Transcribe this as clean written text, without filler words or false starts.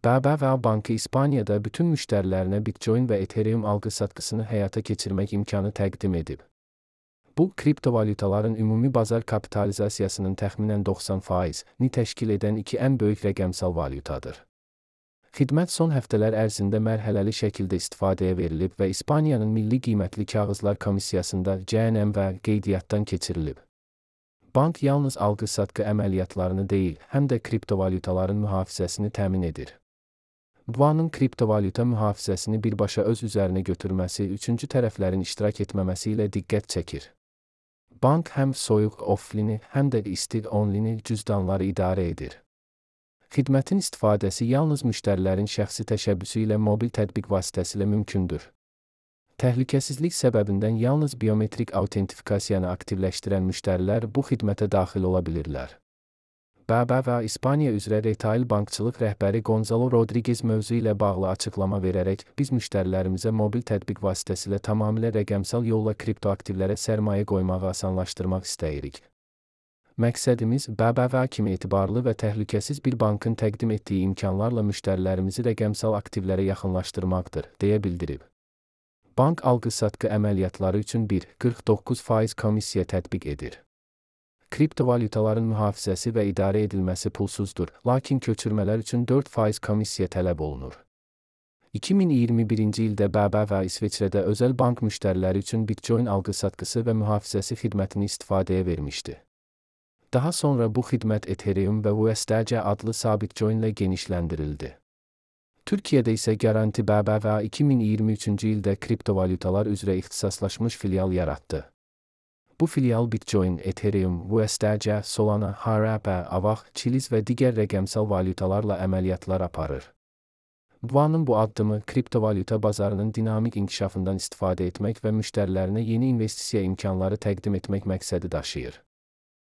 BBVA Bankı İspaniyada bütün müştərilərinə Bitcoin və Ethereum alqı-satqısını həyata keçirmək imkanı təqdim edib. Bu, kriptovalyutaların ümumi bazar kapitalizasiyasının təxminən 90%-ni təşkil edən iki ən böyük rəqəmsal valyutadır. Xidmət son həftələr ərzində mərhələli şəkildə istifadəyə verilib və İspaniyanın Milli Qiymətli Kağızlar Komissiyasında CNM və qeydiyyatdan keçirilib. Bank yalnız alqı-satqı əməliyyatlarını deyil, həm də kriptovalyutaların mühafizəsini təmin edir. BBVA-nın kriptovalyuta mühafizəsini birbaşa öz üzərinə götürməsi üçüncü tərəflərin iştirak etməməsi ilə diqqət çəkir. Bank həm soyuq offline, həm də isti online cüzdanları idarə edir. Xidmətin istifadəsi yalnız müştərilərin şəxsi təşəbbüsü ilə mobil tətbiq vasitəsilə mümkündür. Təhlükəsizlik səbəbindən yalnız biometrik autentifikasiyanı aktivləşdirən müştərilər bu xidmətə daxil ola bilirlər. BBVA İspaniya üzrə retail bankçılıq rəhbəri Gonzalo Rodriguez mövzu ilə bağlı açıqlama verərək, biz müştərilərimizə mobil tətbiq vasitəsilə tamamilə rəqəmsal yolla kriptoaktivlərə sərmayə qoymağı asanlaşdırmaq istəyirik. Məqsədimiz BBVA kimi etibarlı və təhlükəsiz bir bankın təqdim etdiyi imkanlarla müştərilərimizi rəqəmsal aktivlərə yaxınlaşdırmaqdır, deyə bildirib. Bank alqı-satqı əməliyyatları üçün 1,49% komissiya tətbiq edir. Kriptovalyutaların mühafizəsi və idarə edilməsi pulsuzdur, lakin köçürmələr üçün 4% komissiya tələb olunur. 2021-ci ildə BBVA İsveçrədə özəl bank müştəriləri üçün Bitcoin alqı-satqısı və mühafizəsi xidmətini istifadəyə vermişdi. Daha sonra bu xidmət Ethereum və USDC adlı sabit coinlə genişləndirildi. Türkiyədə isə Garanti BBVA 2023-cü ildə kriptovalyutalar üzrə ixtisaslaşmış filial yaratdı. Bu filial Bitcoin, Ethereum, USDC, Solana, HRP, AVAX, Chiliz və digər rəqəmsal valyutalarla əməliyyatlar aparır. BBVA-nın bu addımı kriptovalyuta bazarının dinamik inkişafından istifadə etmək və müştərilərinə yeni investisiya imkanları təqdim etmək məqsədi daşıyır.